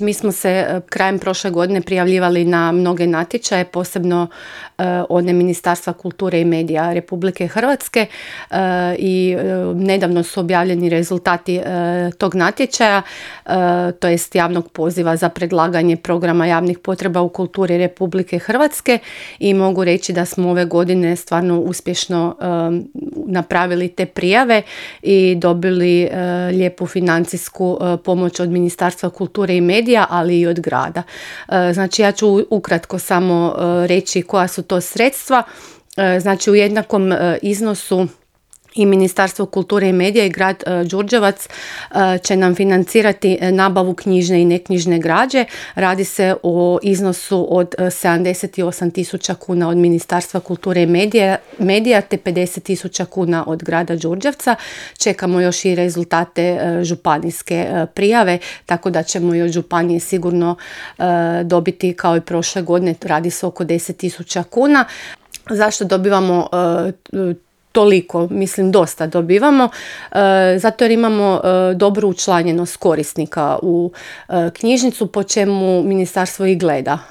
Mi smo se krajem prošle godine prijavljivali na mnoge natječaje, posebno one Ministarstva kulture i medija Republike Hrvatske i nedavno su objavljeni rezultati tog natječaja, to jest javnog poziva za predlaganje programa javnih potreba u kulturi Republike Hrvatske i mogu reći da smo ove godine stvarno uspješno napravili te prijave i dobili lijepu financijsku pomoć od Ministarstva kulture i medija, ali i od grada. Znači ja ću ukratko samo reći koja su to sredstva. Znači u jednakom iznosu i Ministarstvo kulture i medija i grad Đurđevac će nam financirati nabavu knjižne i neknjižne građe. Radi se o iznosu od 78.000 kuna od Ministarstva kulture i medija te 50.000 kuna od grada Đurđevca. Čekamo još i rezultate županijske prijave, tako da ćemo i od županije sigurno dobiti kao i prošle godine, radi se oko 10.000 kuna. Zašto dobivamo toliko? Mislim dosta dobivamo, zato jer imamo dobru učlanjenost korisnika u knjižnicu, po čemu ministarstvo i gleda